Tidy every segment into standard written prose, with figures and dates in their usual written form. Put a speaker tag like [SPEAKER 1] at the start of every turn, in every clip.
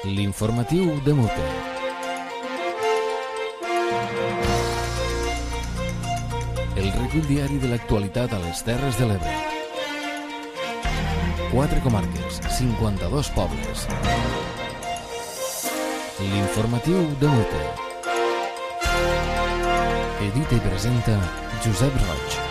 [SPEAKER 1] L'informatiu de Mute. El recull diari de l'actualitat a les Terres de l'Ebre. 4 comarques, 52 pobles. L'informatiu de Mute. Edita i presenta Josep Roig.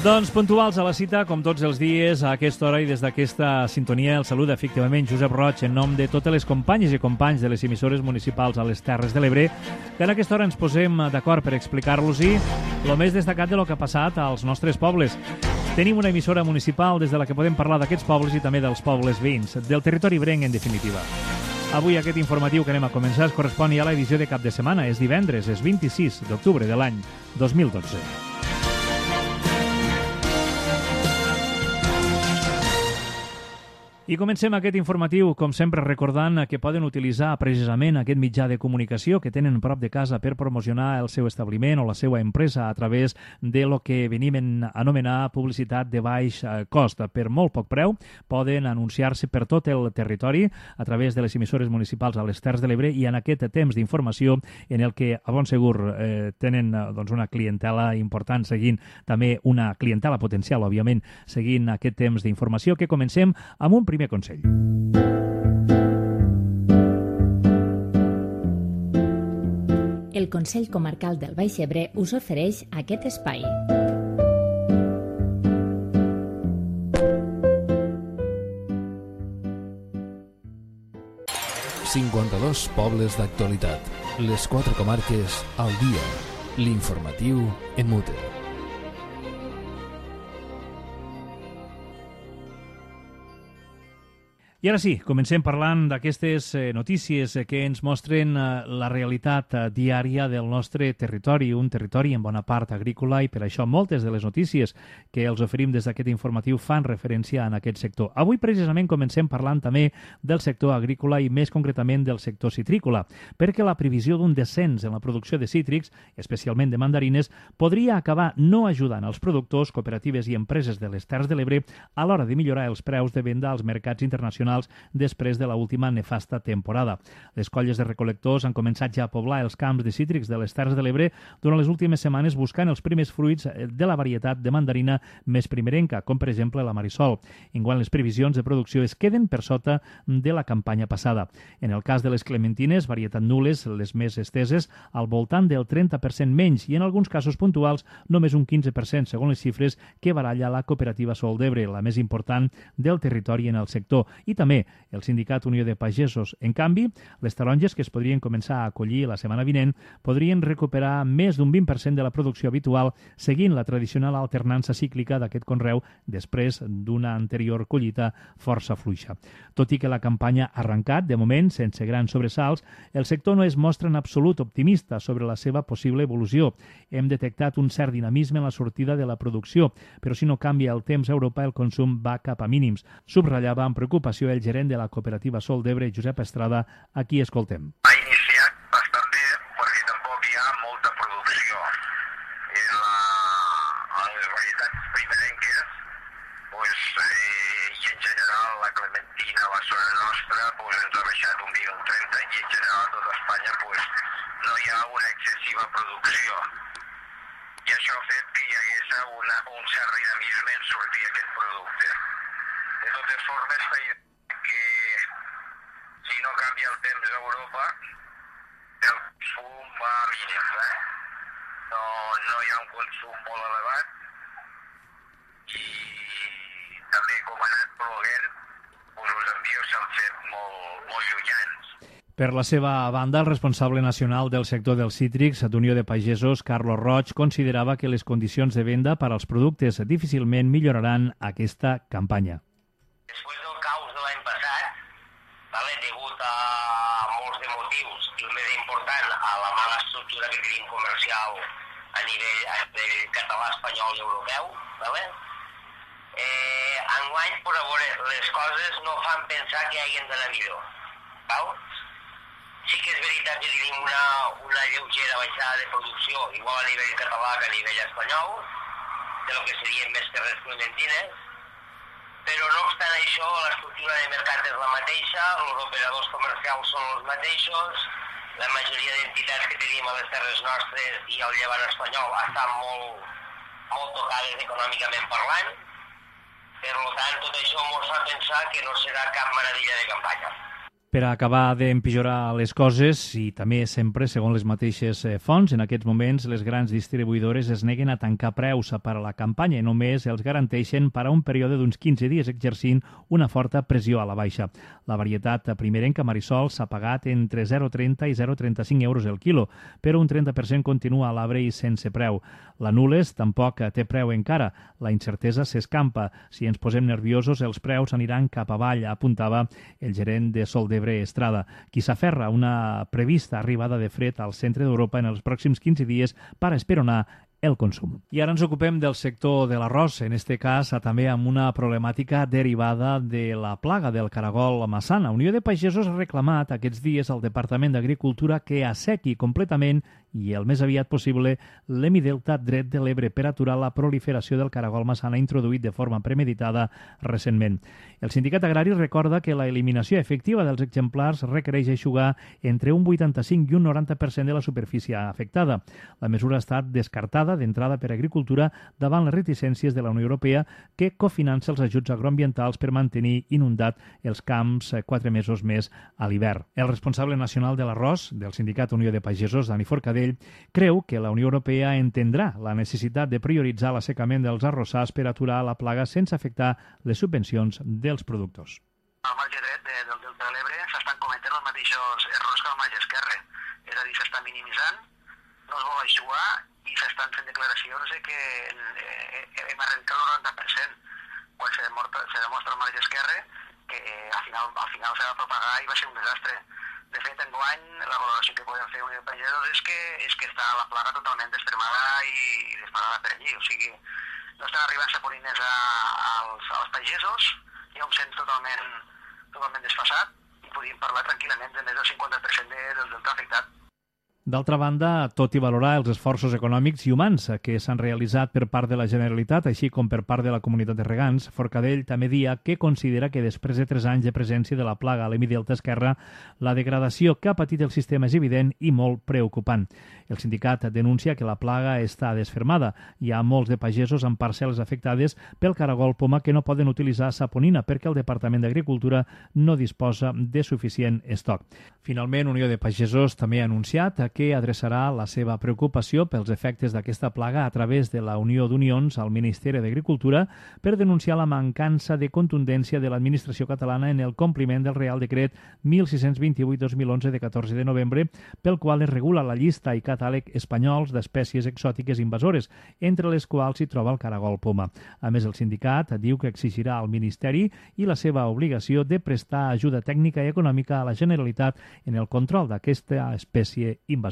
[SPEAKER 2] Doncs puntuals a la cita, com tots els dies, a aquesta hora i des d'aquesta sintonia, el saluda efectivament Josep Roig en nom de totes les companyes i companys de les emissores municipals a les Terres de l'Ebre, que en aquesta hora ens posem d'acord per explicar-los-hi el més destacat de lo que ha passat als nostres pobles. Tenim una emissora municipal des de la que podem parlar d'aquests pobles i també dels pobles veïns, del territori ebrenc en definitiva. Avui aquest informatiu que anem a començar es correspon ja a l'edició de cap de setmana. És divendres, és 26 d'octubre de l'any 2012. I comencem aquest informatiu, com sempre, recordant que poden utilitzar precisament aquest mitjà de comunicació que tenen prop de casa per promocionar el seu establiment o la seva empresa a través de lo que venim a anomenar publicitat de baix cost. Per molt poc preu poden anunciar-se per tot el territori a través de les emissores municipals a les Terres de l'Ebre i en aquest temps d'informació en el que, a bon segur, tenen una clientela important seguint, també una clientela potencial, òbviament, seguint aquest temps d'informació, que comencem amb un primer consell.
[SPEAKER 3] El Consell Comarcal del Baix Ebre us ofereix aquest espai.
[SPEAKER 1] «52 pobles d'actualitat. Les 4 comarques al dia. L'informatiu en Mute».
[SPEAKER 2] I ara sí, comencem parlant d'aquestes notícies que ens mostren la realitat diària del nostre territori, un territori en bona part agrícola, i per això moltes de les notícies que els oferim des d'aquest informatiu fan referència en aquest sector. Avui precisament comencem parlant també del sector agrícola i més concretament del sector citrícola, perquè la previsió d'un descens en la producció de cítrics, especialment de mandarines, podria acabar no ajudant els productors, cooperatives i empreses de les Terres de l'Ebre a l'hora de millorar els preus de venda als mercats internacionals després de l'última nefasta temporada. Les colles de recol·lectors han començat ja a poblar els camps de cítrics de les Terres de l'Ebre durant les últimes setmanes buscant els primers fruits de la varietat de mandarina més primerenca, com per exemple la Marisol. Enguany les previsions de producció es queden per sota de la campanya passada. En el cas de les clementines, varietat nules, les més esteses, al voltant del 30% menys i en alguns casos puntuals només un 15% segons les xifres que baralla la cooperativa Sol d'Ebre, la més important del territori en el sector, i també el sindicat Unió de Pagesos. En canvi, les taronges que es podrien començar a acollir la setmana vinent podrien recuperar més d'un 20% de la producció habitual seguint la tradicional alternança cíclica d'aquest conreu després d'una anterior collita força fluixa. Tot i que la campanya ha arrencat, de moment, sense grans sobresalts, el sector no es mostra en absolut optimista sobre la seva possible evolució. Hem detectat un cert dinamisme en la sortida de la producció, però si no canvia el temps a Europa, el consum va cap a mínims. Subratllava amb preocupació el gerent de la cooperativa Sol d'Ebre, Josep Estrada, a qui escoltem.
[SPEAKER 4] Ha iniciat bastant bé perquè tampoc hi ha molta producció. A les varietats primerenques i en general la clementina a la zona nostra ens ha baixat un 20 o un 30 i en general a tota Espanya no hi ha una excessiva producció. I això ha fet que hi hagués un cert dinamisme en sortir aquest producte. De totes formes, que si no canvia el temps a Europa, el consum va a mínims. No hi ha un consum molt elevat i també com ha anat ploguent, els envios s'han fet molt llunyans.
[SPEAKER 2] Per la seva banda, el responsable nacional del sector dels cítrics d'Unió de Pagesos, Carlos Roig, considerava que les condicions de venda per als productes difícilment milloraran aquesta campanya.
[SPEAKER 5] Després del caos de l'any passat, degut a molts de motius, i el més important, a la mala estructura que tenim comercial a nivell català, espanyol i europeu, enguany, per a veure, les coses no fan pensar que hagin d'anar millor. Sí que és veritat que tenim una lleugera baixada de producció, igual a nivell català que a nivell espanyol, de lo que serien més terres clementines, però no obstant això, la estructura de mercat és la mateixa, els operadors comercials són els mateixos, la majoria d'entitats que tenim a les terres nostres i al llevant espanyol estan molt tocades econòmicament parlant. Per tant, tot això ens fa pensar que no serà cap meravella de campanya.
[SPEAKER 2] Per a acabar d'empitjorar les coses, i també sempre, segons les mateixes fonts, en aquests moments les grans distribuïdores es neguen a tancar preus per a la campanya i només els garanteixen per a un període d'uns 15 dies exercint una forta pressió a la baixa. La varietat primerenca Marisol s'ha pagat entre 0,30 i 0,35 euros el quilo, però un 30% continua a l'arbre i sense preu. La Nules tampoc té preu encara. La incertesa s'escampa. Si ens posem nerviosos, els preus aniran cap avall, apuntava el gerent de Soldebre Estrada, qui s'aferra a una prevista arribada de fred al centre d'Europa en els pròxims 15 dies per esperonar el consum. I ara ens ocupem del sector de l'arròs, en este cas també amb una problemàtica derivada de la plaga del caragol massana. Unió de Pagesos ha reclamat aquests dies al Departament d'Agricultura que assequi completament i el més aviat possible l'hemidelta dret de l'Ebre per aturar la proliferació del caragol massana introduït de forma premeditada recentment. El sindicat agrari recorda que la eliminació efectiva dels exemplars requereix eixugar entre un 85 i un 90% de la superfície afectada. La mesura ha estat descartada d'entrada per Agricultura davant les reticències de la Unió Europea que cofinança els ajuts agroambientals per mantenir inundat els camps 4 mesos més a l'hivern. El responsable nacional de l'arròs del sindicat Unió de Pagesos, Dani Forcadell, creu que la Unió Europea entendrà la necessitat de prioritzar l'assecament dels arrossars per aturar la plaga sense afectar les subvencions dels productors.
[SPEAKER 4] Al marge dret del Delta de l'Ebre s'estan cometent els mateixos errors que al marge esquerre, és a dir, s'està minimitzant, no es vol eixugar i s'estan fent declaracions de que hem arrencat el 90%, quan se demostra al marge esquerre que al final s'ha de propagar i va ser un desastre. De fet, enguany, la valoració que podem fer Unió de Pagesos és que està la plaga totalment destremada i disparada per allí. O sigui, no estan arribant saponines als pagesos, hi ha un cens totalment desfasat i podríem parlar tranquil·lament de més del 50% del delta afectat.
[SPEAKER 2] D'altra banda, tot i valorar els esforços econòmics i humans que s'han realitzat per part de la Generalitat, així com per part de la comunitat de regants, Forcadell també dia que considera que després de 3 anys de presència de la plaga a l'hemidelta esquerra, la degradació que ha patit el sistema és evident i molt preocupant. El sindicat denuncia que la plaga està desfermada. Hi ha molts de pagesos amb parcel·les afectades pel caragol poma que no poden utilitzar saponina perquè el Departament d'Agricultura no disposa de suficient estoc. Finalment, Unió de Pagesos també ha anunciat que adreçarà la seva preocupació pels efectes d'aquesta plaga a través de la Unió d'Unions al Ministeri d'Agricultura per denunciar la mancança de contundència de l'administració catalana en el compliment del Real Decret 1628-2011 de 14 de novembre, pel qual es regula la llista i catàleg espanyols d'espècies exòtiques invasores, entre les quals s'hi troba el caragol poma. A més, el sindicat diu que exigirà al Ministeri i la seva obligació de prestar ajuda tècnica i econòmica a la Generalitat en el control d'aquesta espècie invasora.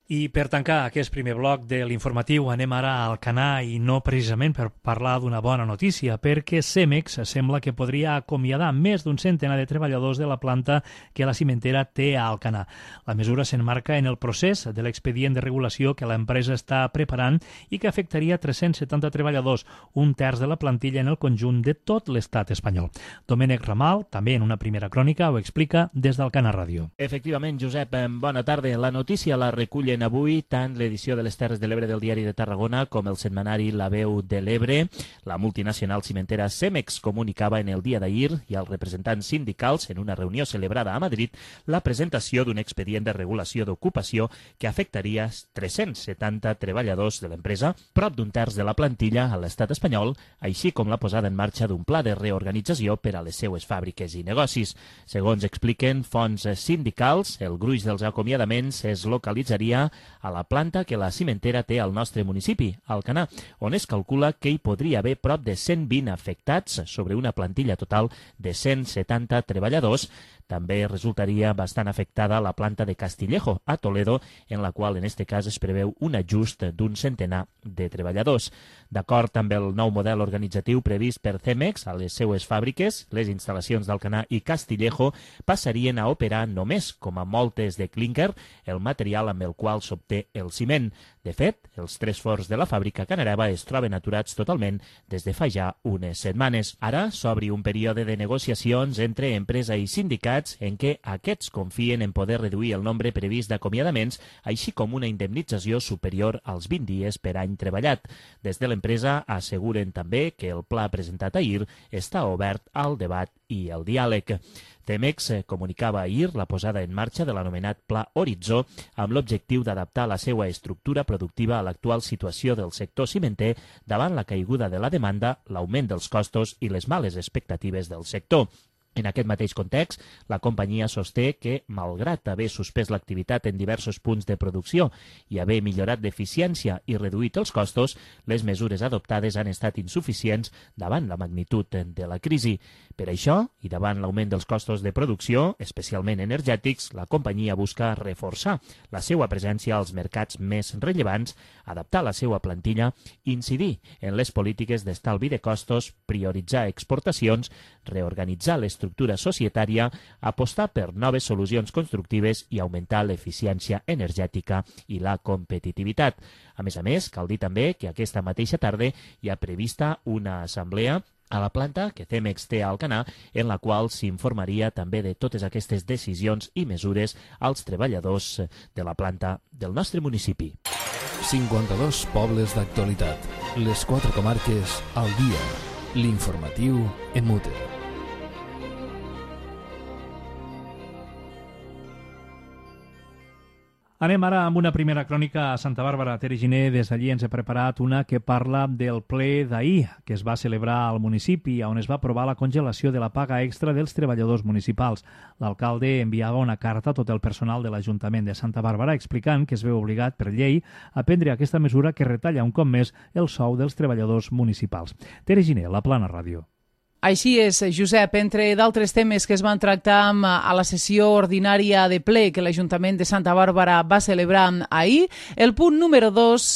[SPEAKER 2] I per tancar aquest primer bloc de l'informatiu anem ara a Alcanar i no precisament per parlar d'una bona notícia, perquè Cemex sembla que podria acomiadar més d'un centenar de treballadors de la planta que la cimentera té a Alcanar. La mesura s'enmarca en el procés de l'expedient de regulació que l'empresa està preparant i que afectaria 370 treballadors, un terç de la plantilla en el conjunt de tot l'estat espanyol. Domènec Ramal, també en una primera crònica, ho explica des d'Alcanar Ràdio.
[SPEAKER 6] Efectivament, Josep, bona tarda. La notícia la recullen avui tant l'edició de les Terres de l'Ebre del Diari de Tarragona com el setmanari La Veu de l'Ebre. La multinacional cimentera Cemex comunicava en el dia d'ahir i als representants sindicals en una reunió celebrada a Madrid la presentació d'un expedient de regulació d'ocupació que afectaria 370 treballadors de l'empresa, prop d'un terç de la plantilla a l'estat espanyol, així com la posada en marxa d'un pla de reorganització per a les seues fàbriques i negocis. Segons expliquen fonts sindicals, el gruix dels acomiadaments es localitzaria a la planta que la cimentera té al nostre municipi, Alcanar, on es calcula que hi podria haver prop de 120 afectats sobre una plantilla total de 170 treballadors. També resultaria bastant afectada la planta de Castillejo, a Toledo, en la qual en este cas es preveu un ajust d'un centenar de treballadors. D'acord amb el nou model organitzatiu previst per Cemex a les seues fàbriques, les instal·lacions d'Alcanar i Castillejo passarien a operar només com a moltes de clínquer, el material amb el qual qual s'obté el ciment. De fet, els 3 forns de la fàbrica Canareva es troben aturats totalment des de fa ja unes setmanes. Ara s'obri un període de negociacions entre empresa i sindicats en què aquests confien en poder reduir el nombre previst d'acomiadaments, així com una indemnització superior als 20 dies per any treballat. Des de l'empresa asseguren també que el pla presentat ahir està obert al debat i el diàleg. Cemex comunicava ahir la posada en marxa de l'anomenat Pla Horitzó amb l'objectiu d'adaptar la seva estructura productiva a l'actual situació del sector cimenter davant la caiguda de la demanda, l'augment dels costos i les males expectatives del sector. En aquest mateix context, la companyia sosté que, malgrat haver suspès l'activitat en diversos punts de producció i haver millorat l'eficiència i reduït els costos, les mesures adoptades han estat insuficients davant la magnitud de la crisi. Per això, i davant l'augment dels costos de producció, especialment energètics, la companyia busca reforçar la seva presència als mercats més rellevants, adaptar la seva plantilla, incidir en les polítiques d'estalvi de costos, prioritzar exportacions, reorganitzar l'estructura societària, apostar per noves solucions constructives i augmentar l'eficiència energètica i la competitivitat. A més, cal dir també que aquesta mateixa tarda hi ha prevista una assemblea a la planta que Cemex té a Alcanar, en la qual s'informaria també de totes aquestes decisions i mesures als treballadors de la planta del nostre municipi.
[SPEAKER 1] 52 pobles d'actualitat. Les 4 comarques al dia. L'informatiu en Mutter.
[SPEAKER 2] Anem ara amb una primera crònica a Santa Bàrbara. Tere Giner, des d'allí ens ha preparat una que parla del ple d'ahir, que es va celebrar al municipi, on es va aprovar la congelació de la paga extra dels treballadors municipals. L'alcalde enviava una carta a tot el personal de l'Ajuntament de Santa Bàrbara explicant que es veu obligat per llei a prendre aquesta mesura que retalla un cop més el sou dels treballadors municipals. Tere Giner, La Plana Ràdio.
[SPEAKER 7] Així és, Josep, entre d'altres temes que es van tractar a la sessió ordinària de ple que l'Ajuntament de Santa Bàrbara va celebrar ahir, el punt número 2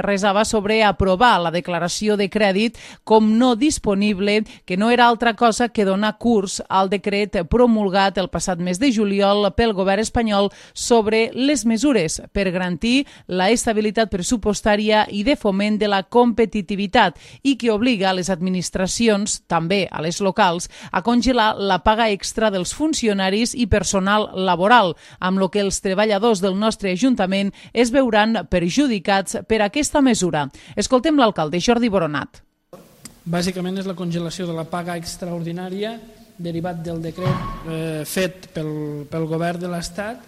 [SPEAKER 7] resava sobre aprovar la declaració de crèdit com no disponible, que no era altra cosa que donar curs al decret promulgat el passat mes de juliol pel govern espanyol sobre les mesures per garantir la estabilitat pressupostària i de foment de la competitivitat i que obliga a les administracions, també a les locals, a congelar la paga extra dels funcionaris i personal laboral, amb lo que els treballadors del nostre Ajuntament es veuran perjudicats per aquesta mesura. Escoltem l'alcalde Jordi Boronat.
[SPEAKER 8] Bàsicament és la congelació de la paga extraordinària derivat del decret fet pel govern de l'Estat,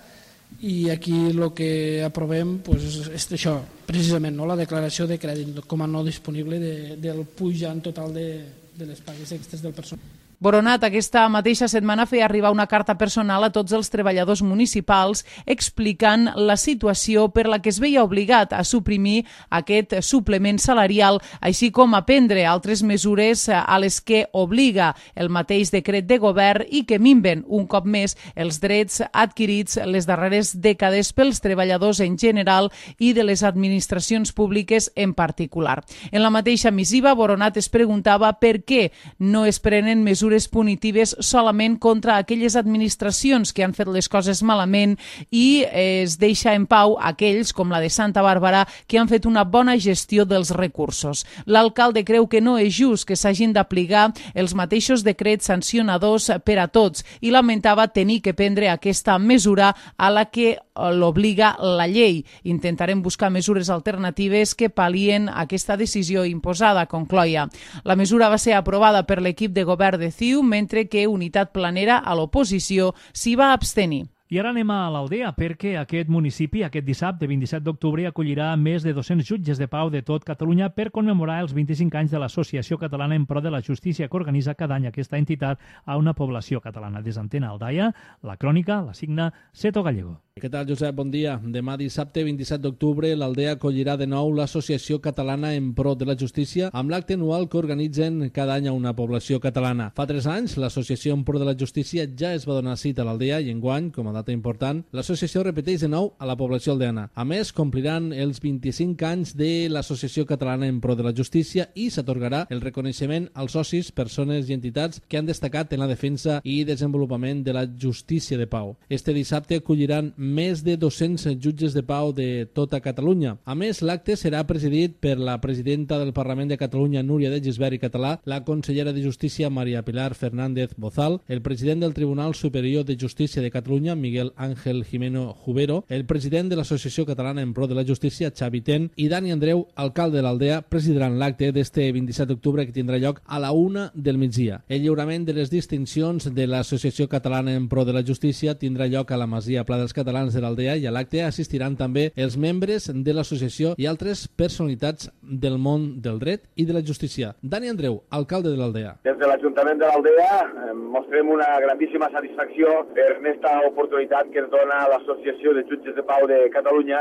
[SPEAKER 8] i aquí el que aprovem és això, precisament, la declaració de crèdit com a no disponible del pujant total de les pagues extres del personal.
[SPEAKER 7] Boronat aquesta mateixa setmana feia arribar una carta personal a tots els treballadors municipals explicant la situació per la que es veia obligat a suprimir aquest suplement salarial, així com a prendre altres mesures a les que obliga el mateix decret de govern i que minven un cop més els drets adquirits les darreres dècades pels treballadors en general i de les administracions públiques en particular. En la mateixa missiva, Boronat es preguntava per què no es prenen mesures punitives solament contra aquelles administracions que han fet les coses malament i es deixa en pau aquells, com la de Santa Bàrbara, que han fet una bona gestió dels recursos. L'alcalde creu que no és just que s'hagin d'aplicar els mateixos decrets sancionadors per a tots i lamentava tenir que prendre aquesta mesura a la que l'obliga la llei. Intentarem buscar mesures alternatives que pal·lien aquesta decisió imposada, concloia. La mesura va ser aprovada per l'equip de govern de CiU, mentre que Unitat Planera, a l'oposició, s'hi va abstenir.
[SPEAKER 2] I ara anem a l'Aldea, perquè aquest municipi, aquest dissabte, 27 d'octubre, acollirà més de 200 jutges de pau de tot Catalunya per commemorar els 25 anys de l'Associació Catalana en Pro de la Justícia, que organitza cada any aquesta entitat a una població catalana. Des d'Antena Aldaia, la crònica la signa Seto Gallego.
[SPEAKER 9] Què tal, Josep? Bon dia. Demà dissabte, 27 d'octubre, l'Aldea acollirà de nou l'Associació Catalana en Pro de la Justícia amb l'acte anual que organitzen cada any a una població catalana. Fa 3 anys, l'Associació en Pro de la Justícia ja es va donar cita a l'Aldea i enguany, com a data important, l'associació repeteix de nou a la població aldeana. A més, compliran els 25 anys de l'Associació Catalana en Pro de la Justícia i s'atorgarà el reconeixement als socis, persones i entitats que han destacat en la defensa i desenvolupament de la justícia de pau. Este dissabte acolliran més de 200 jutges de pau de tota Catalunya. A més, l'acte serà presidit per la presidenta del Parlament de Catalunya, Núria de Gisbert i Català, la consellera de Justícia, Maria Pilar Fernández Bozal, el president del Tribunal Superior de Justícia de Catalunya, Miguel Ángel Jimeno Jubero, el president de l'Associació Catalana en Pro de la Justícia, Xavi Ten, i Dani Andreu, alcalde de l'Aldea, presidiran l'acte d'este 27 d'octubre que tindrà lloc a la 1 del migdia. El lliurament de les distincions de l'Associació Catalana en Pro de la Justícia tindrà lloc a la Masia Pla dels Catalans de l'Aldea i a l'acte assistiran també els membres de l'associació i altres personalitats del món del dret i de la justícia. Dani Andreu, alcalde de l'Aldea.
[SPEAKER 10] Des de l'Ajuntament de l'Aldea mostrem una grandíssima satisfacció per aquesta oportunitat que ens dona l'Associació de Jutges de Pau de Catalunya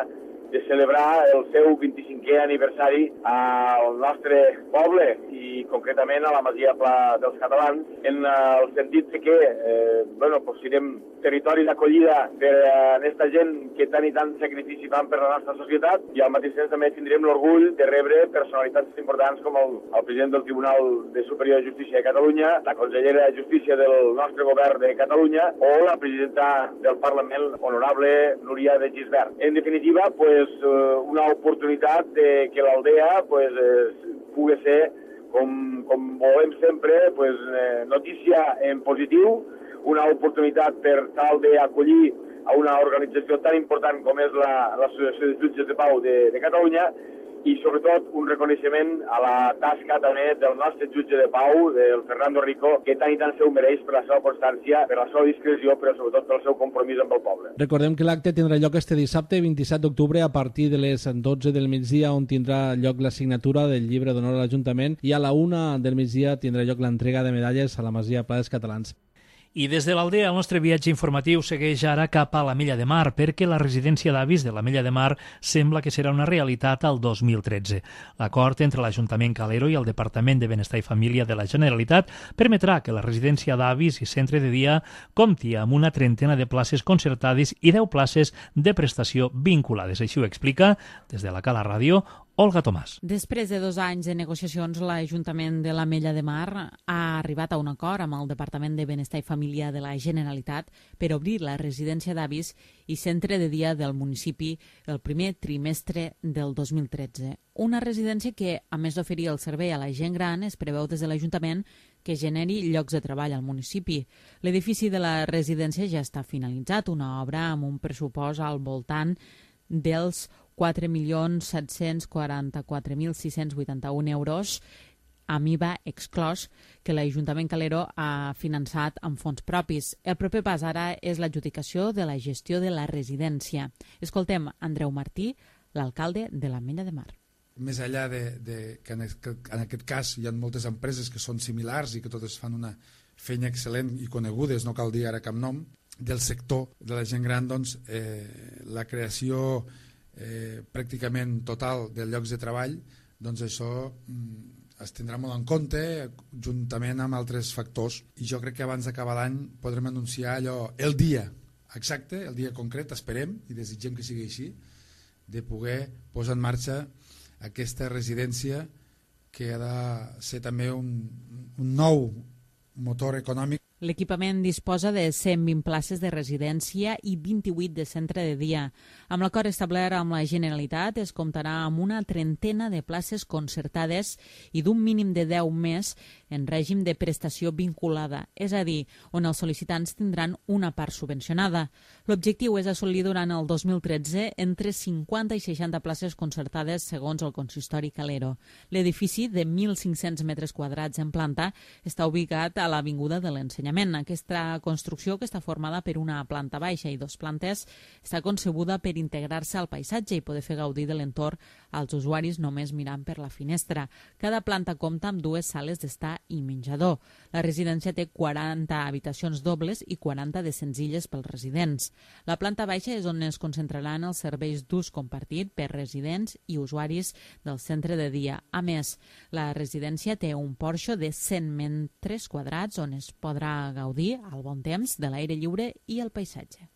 [SPEAKER 10] de celebrar el seu 25è aniversari al nostre poble i concretament a la Masia Pla dels Catalans, en el sentit que siguem territori d'acollida per a aquesta gent que tant i tant sacrifici fan per la nostra societat, i al mateix temps també tindrem l'orgull de rebre personalitats importants com el president del Tribunal Superior de Justícia de Catalunya, la consellera de Justícia del nostre govern de Catalunya o la presidenta del Parlament, honorable Núria de Gisbert. En definitiva, una oportunitat de que l'Aldea pugui ser, com volem sempre, notícia en positiu, una oportunitat per tal d'acollir a una organització tan important com és l'Associació de Jutges de Pau de Catalunya, i sobretot un reconeixement a la tasca també del nostre jutge de pau, del Fernando Rico, que tant i tant se ho mereix per la seva constància, per la seva discreció, però sobretot pel seu compromís amb el poble.
[SPEAKER 9] Recordem que l'acte tindrà lloc este dissabte 27 d'octubre a partir de les 12 del migdia, on tindrà lloc la signatura del llibre d'honor a l'Ajuntament, i a la 1 del migdia tindrà lloc l'entrega de medalles a la Masia Pla dels Catalans.
[SPEAKER 2] I des de l'Aldea el nostre viatge informatiu segueix ara cap a l'Ametlla de Mar, perquè la residència d'avis de l'Ametlla de Mar sembla que serà una realitat al 2013. L'acord entre l'Ajuntament Calero i el Departament de Benestar i Família de la Generalitat permetrà que la residència d'avis i centre de dia compti amb una 30 de places concertades i 10 places de prestació vinculades. Així ho explica, des de la Cala Ràdio, Olga Tomàs.
[SPEAKER 11] Després de 2 anys de negociacions, l'Ajuntament de l'Ametlla de Mar ha arribat a un acord amb el Departament de Benestar i Família de la Generalitat per obrir la residència d'avis i centre de dia del municipi el primer trimestre del 2013. Una residència que, a més d'oferir el servei a la gent gran, es preveu des de l'Ajuntament que generi llocs de treball al municipi. L'edifici de la residència ja està finalitzat, una obra amb un pressupost al voltant dels 4.744.681 euros, amb IVA exclòs, que l'Ajuntament Calero ha finançat amb fons propis. El proper pas ara és l'adjudicació de la gestió de la residència. Escoltem Andreu Martí, l'alcalde de l'Ametlla de Mar.
[SPEAKER 12] Més enllà de que en aquest cas hi ha moltes empreses que són similars i que totes fan una feina excel·lent i conegudes, no cal dir ara cap nom, del sector de la gent gran, doncs la creació pràcticament total de llocs de treball, doncs això es tindrà molt en compte juntament amb altres factors, i jo crec que abans d'acabar l'any podrem anunciar el dia exacte, el dia concret, esperem i desitgem que sigui així, de poder posar en marxa aquesta residència que ha de ser també un nou motor econòmic.
[SPEAKER 11] L'equipament disposa de 120 places de residència i 28 de centre de dia. Amb l'acord establert amb la Generalitat es comptarà amb una 30 de places concertades i d'un mínim de 10 més en règim de prestació vinculada, és a dir, on els sol·licitants tindran una part subvencionada. L'objectiu és assolir durant el 2013 entre 50 i 60 places concertades segons el consistori Calero. L'edifici de 1.500 metres quadrats en planta està ubicat a l'Avinguda de l'Ensenyament. Aquesta construcció, que està formada per una planta baixa i 2 plantes, està concebuda per integrar-se al paisatge i poder fer gaudir de l'entorn als usuaris només mirant per la finestra. Cada planta compta amb 2 sales d'estar i menjador. La residència té 40 habitacions dobles i 40 de senzilles pels residents. La planta baixa és on es concentraran els serveis d'ús compartit per residents i usuaris del centre de dia. A més, la residència té un porxo de 100 metres quadrats on es podrà gaudir al bon temps de l'aire lliure i el paisatge.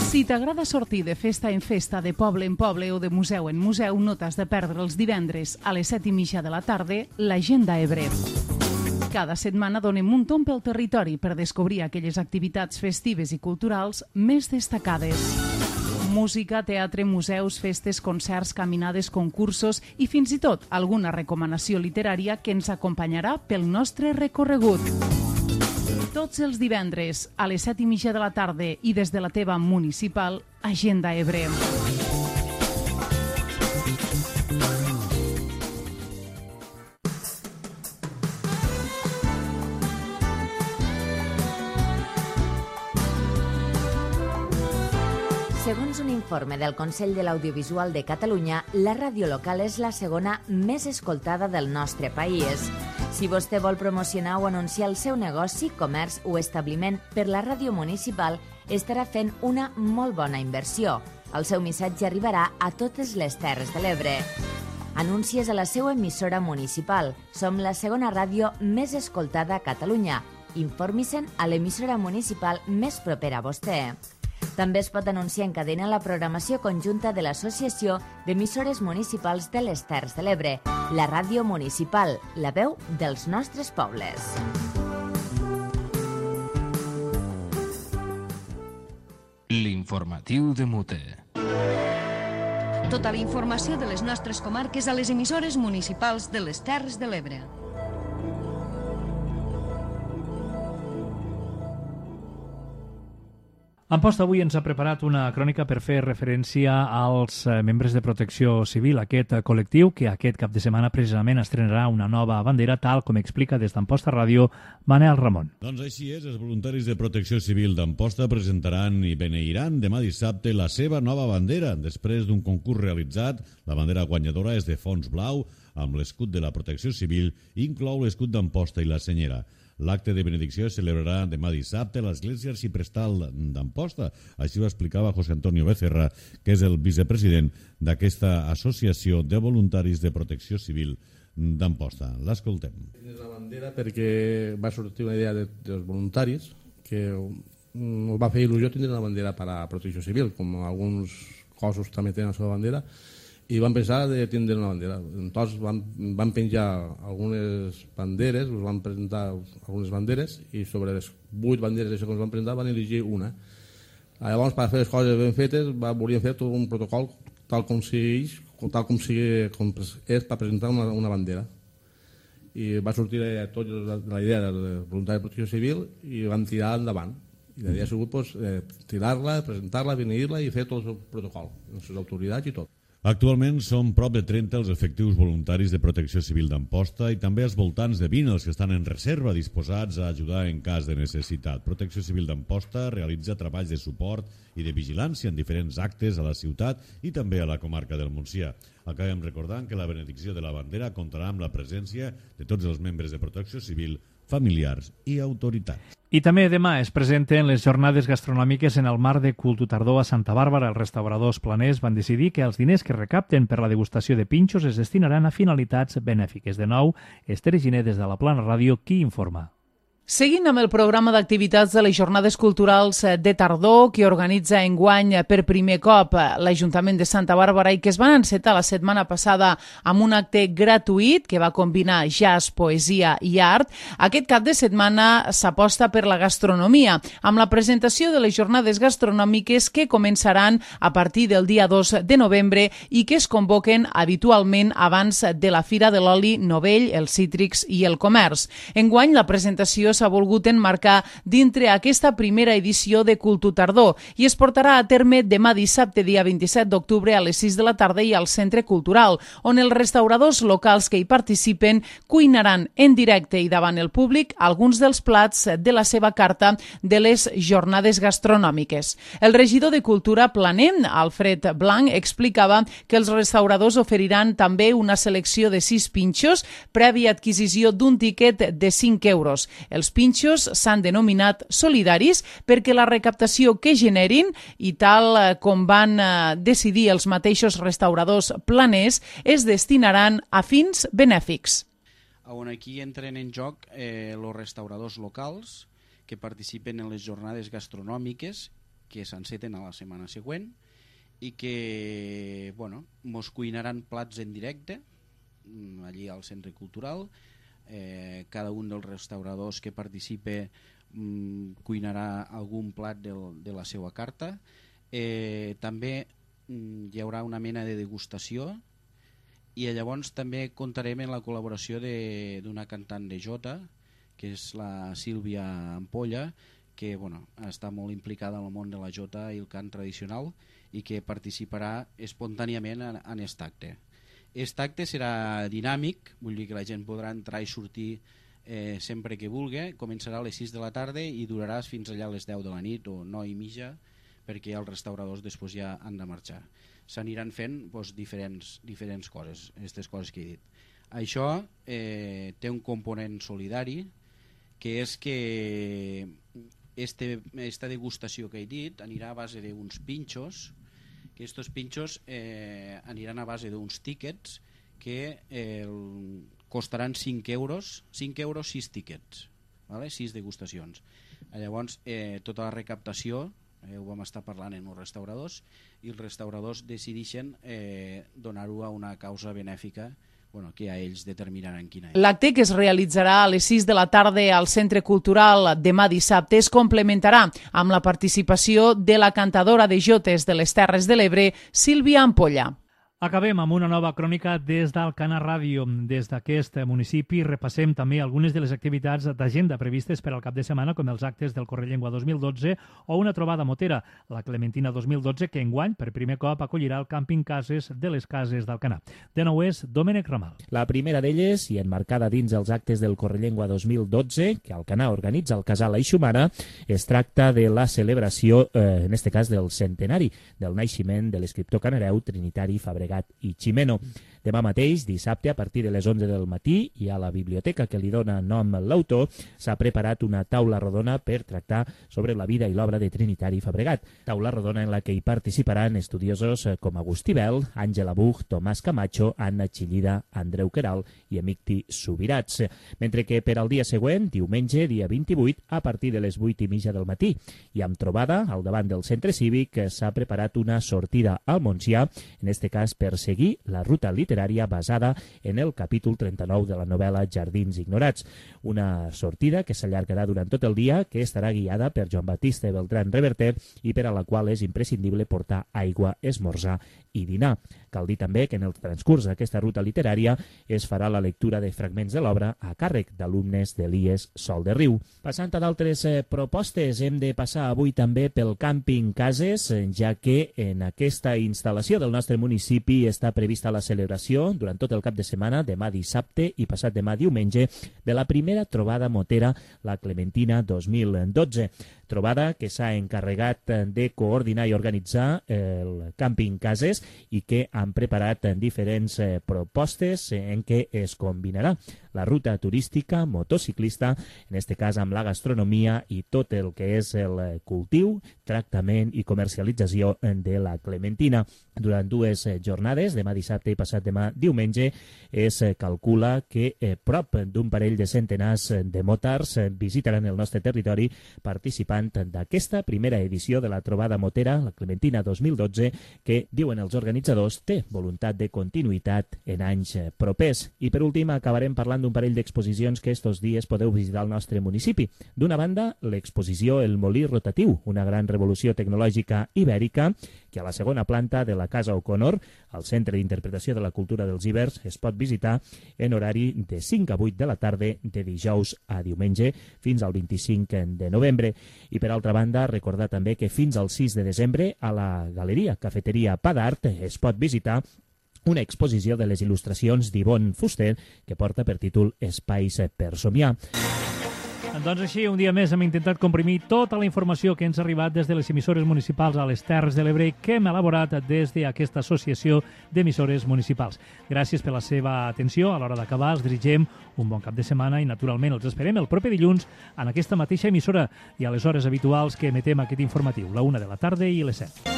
[SPEAKER 7] Si t'agrada sortir de festa en festa, de poble en poble o de museu en museu, no t'has de perdre els divendres a les 7:30 de la tarda l'Agenda Ebre. Cada setmana donem un tomb pel territori per descobrir aquelles activitats festives i culturals més destacades. Música, teatre, museus, festes, concerts, caminades, concursos i fins i tot alguna recomanació literària que ens acompanyarà pel nostre recorregut. Tots els divendres a les 7:30 de la tarda i des de la teva municipal, Agenda Ebre.
[SPEAKER 3] Segons un informe del Consell de l'Audiovisual de Catalunya, la ràdio local és la segona més escoltada del nostre país. Si vostè vol promocionar o anunciar el seu negoci, comerç o establiment per la ràdio municipal, estarà fent una molt bona inversió. El seu missatge arribarà a totes les Terres de l'Ebre. Anuncies a la seva emissora municipal. Som la segona ràdio més escoltada a Catalunya. Informi-se'n a l'emissora municipal més propera a vostè. També es pot anunciar en cadena la programació conjunta de l'Associació d'Emissores Municipals de les Terres de l'Ebre, la ràdio municipal, la veu dels nostres pobles.
[SPEAKER 1] L'informatiu de Mute.
[SPEAKER 13] Tota la informació de les nostres comarques a les emissores municipals de les Terres de l'Ebre.
[SPEAKER 2] Amposta avui ens ha preparat una crònica per fer referència als membres de Protecció Civil, aquest col·lectiu que aquest cap de setmana precisament estrenarà una nova bandera, tal com explica des d'Amposta Ràdio Manel Ramon.
[SPEAKER 14] Doncs així és, els voluntaris de Protecció Civil d'Amposta presentaran i beneiran demà dissabte la seva nova bandera. Després d'un concurs realitzat, la bandera guanyadora és de fons blau, amb l'escut de la Protecció Civil i inclou l'escut d'Amposta i la senyera. L'acte de benedicció es celebrarà demà dissabte a l'Església Arxiprestal d'Amposta. Així ho explicava José Antonio Becerra, que és el vicepresident d'aquesta associació de voluntaris de protecció civil d'Amposta. L'escoltem.
[SPEAKER 15] És la bandera perquè va sortir una idea dels voluntaris que ens va fer il·lusió tindre una bandera per a protecció civil, com alguns cossos també tenen la seva bandera, i vam pensar de tindre una bandera. Tots van penjar algunes banderes, us van presentar algunes banderes i sobre les 8 banderes que ens van presentar van elegir una. Llavors, per fer les coses ben fetes, volíem fer tot un protocol tal com és per presentar una bandera. I va sortir tot la idea del voluntari de protecció civil i vam tirar endavant. I la idea ha sigut tirar-la, presentar-la, beneir-la i fer tot el protocol, les autoritats i tot.
[SPEAKER 14] Actualment són prop de 30 els efectius voluntaris de Protecció Civil d'Amposta i també als voltants de 20 els que estan en reserva disposats a ajudar en cas de necessitat. Protecció Civil d'Amposta realitza treballs de suport i de vigilància en diferents actes a la ciutat i també a la comarca del Montsià. Acabem recordant que la benedicció de la bandera comptarà amb la presència de tots els membres de Protecció Civil, familiars i autoritats.
[SPEAKER 2] I també demà es presenten les jornades gastronòmiques en el marc de Cultutardor a Santa Bàrbara. Els restauradors planers van decidir que els diners que recapten per la degustació de pinxos es destinaran a finalitats benèfiques. De nou, Esther Giner des de la Plana Ràdio, qui informa.
[SPEAKER 7] Seguint amb el programa d'activitats de les Jornades Culturals de Tardor que organitza enguany per primer cop l'Ajuntament de Santa Bàrbara i que es van encetar la setmana passada amb un acte gratuït que va combinar jazz, poesia i art, aquest cap de setmana s'aposta per la gastronomia amb la presentació de les jornades gastronòmiques que començaran a partir del dia 2 de novembre i que es convoquen habitualment abans de la Fira de l'Oli Novell, els cítrics i el comerç. Enguany la presentació s'ha volgut enmarcar dintre aquesta primera edició de Cultutardor i es portarà a terme demà dissabte, dia 27 d'octubre a les 6 de la tarda i al Centre Cultural, on els restauradors locals que hi participen cuinaran en directe i davant el públic alguns dels plats de la seva carta de les jornades gastronòmiques. El regidor de Cultura planer, Alfred Blanc, explicava que els restauradors oferiran també una selecció de 6 pinxos prèvia adquisició d'un tiquet de 5 euros. Els pinxos s'han denominat solidaris perquè la recaptació que generin, i tal com van decidir els mateixos restauradors planers, es destinaran a fins benèfics.
[SPEAKER 16] On aquí entren en joc els restauradors locals que participen en les jornades gastronòmiques que s'enceten a la setmana següent i que mos cuinaran plats en directe allí al Centre Cultural, cada un dels restauradors que participe cuinarà algun plat de la seva carta. També hi haurà una mena de degustació, i llavors també comptarem en la col·laboració d'una cantant de jota, que és la Sílvia Ampolla, que està molt implicada en el món de la jota i el cant tradicional, i que participarà espontàniament en aquest acte. Aquest acte serà dinàmic, vull dir que la gent podrà entrar i sortir sempre que vulgui. Començarà a les 6 de la tarda i durarà fins allà a les 10 de la nit o 9 i mitja, perquè els restauradors després ja han de marxar. S'aniran fent diferents coses, aquestes coses que he dit. Això té un component solidari, que és que esta degustació que he dit anirà a base d'uns pinxos, que aquests pinxos aniran a base d'uns tíquets que costaran 5 euros 6 tíquets, 6 degustacions. Llavors tota la recaptació ho vam estar parlant amb els restauradors, i els restauradors decideixen donar-ho a una causa benèfica, que ja ells determinaran quina és.
[SPEAKER 7] L'acte, que es realitzarà a les 6 de la tarda al Centre Cultural demà dissabte, es complementarà amb la participació de la cantadora de jotes de les Terres de l'Ebre, Sílvia Ampolla.
[SPEAKER 2] Acabem amb una nova crònica des d'Alcanar Ràdio. Des d'aquest municipi repassem també algunes de les activitats d'agenda previstes per al cap de setmana, com els actes del Correllengua 2012 o una trobada motera, la Clementina 2012, que enguany per primer cop acollirà el càmping Cases de les Cases d'Alcanar. De nou és Domènec Ramal.
[SPEAKER 6] La primera d'elles, i enmarcada dins els actes del Correllengua 2012, que Alcanar organitza al Casal Aixumana, es tracta de la celebració, en este cas del centenari, del naixement de l'escriptor canareu Trinitari Fabregat i Ximeno. Demà mateix, dissabte, a partir de les 11 del matí, i a la biblioteca que li dona nom l'autor, s'ha preparat una taula rodona per tractar sobre la vida i l'obra de Trinitari Fabregat. Taula rodona en la que hi participaran estudiosos com Agustí Bel, Àngela Buch, Tomàs Camacho, Anna Chillida, Andreu Queralt i Emicti Subirats. Mentre que per al dia següent, diumenge, dia 28, a partir de les 8:30 del matí, i amb trobada al davant del centre cívic, s'ha preparat una sortida al Montsià, en este cas per seguir la ruta literària basada en el capítol 39 de la novel·la Jardins Ignorats. Una sortida que s'allargarà durant tot el dia, que estarà guiada per Joan Batista Beltrán Reverter i per a la qual és imprescindible portar aigua, esmorzar i dinar. Cal dir també que en el transcurs d'aquesta ruta literària es farà la lectura de fragments de l'obra a càrrec d'alumnes de l'IES Sol de Riu. Passant a d'altres propostes, hem de passar avui també pel càmping Cases, ja que en aquesta instal·lació del nostre municipi està prevista la celebració durant tot el cap de setmana, demà dissabte i passat demà diumenge, de la primera trobada motera, la Clementina 2012. Trobada que s'ha encarregat de coordinar i organitzar el càmping Cases i que han preparat diferents propostes en què es combinarà la ruta turística, motociclista, en este cas amb la gastronomia i tot el que és el cultiu, tractament i comercialització de la clementina. Durant dues jornades, demà dissabte i passat demà diumenge, es calcula que prop d'un parell de centenars de motards visitaran el nostre territori participant d'aquesta primera edició de la trobada motera, la Clementina 2012, que, diuen els organitzadors, té voluntat de continuïtat en anys propers. I per últim acabarem parlant d'un parell d'exposicions que estos dies podeu visitar al nostre municipi. D'una banda, l'exposició El Molí Rotatiu, una gran revolució tecnològica ibèrica, que a la segona planta de la Casa O'Connor, al Centre d'Interpretació de la Cultura dels Ibers, es pot visitar en horari de 5 a 8 de la tarda, de dijous a diumenge, fins al 25 de novembre. I per altra banda, recordar també que fins al 6 de desembre a la Galeria Cafeteria Pa d'Art es pot visitar una exposició de les il·lustracions d'Ivonne Fuster que porta per títol Espais per somiar.
[SPEAKER 2] Doncs així, un dia més hem intentat comprimir tota la informació que ens ha arribat des de les emissores municipals a les Terres de l'Ebre que hem elaborat des d'aquesta associació d'emissores municipals. Gràcies per la seva atenció. A l'hora d'acabar els dirigem un bon cap de setmana i naturalment els esperem el proper dilluns en aquesta mateixa emissora i a les hores habituals que emetem aquest informatiu, la 1 de la tarda i les 7.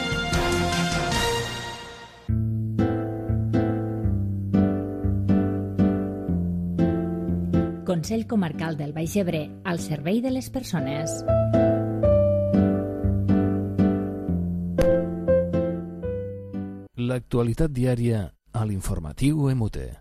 [SPEAKER 3] Consell Comarcal del Baix Ebre, al servei de les persones.
[SPEAKER 1] L'actualitat diària a l'informatiu EMUTE.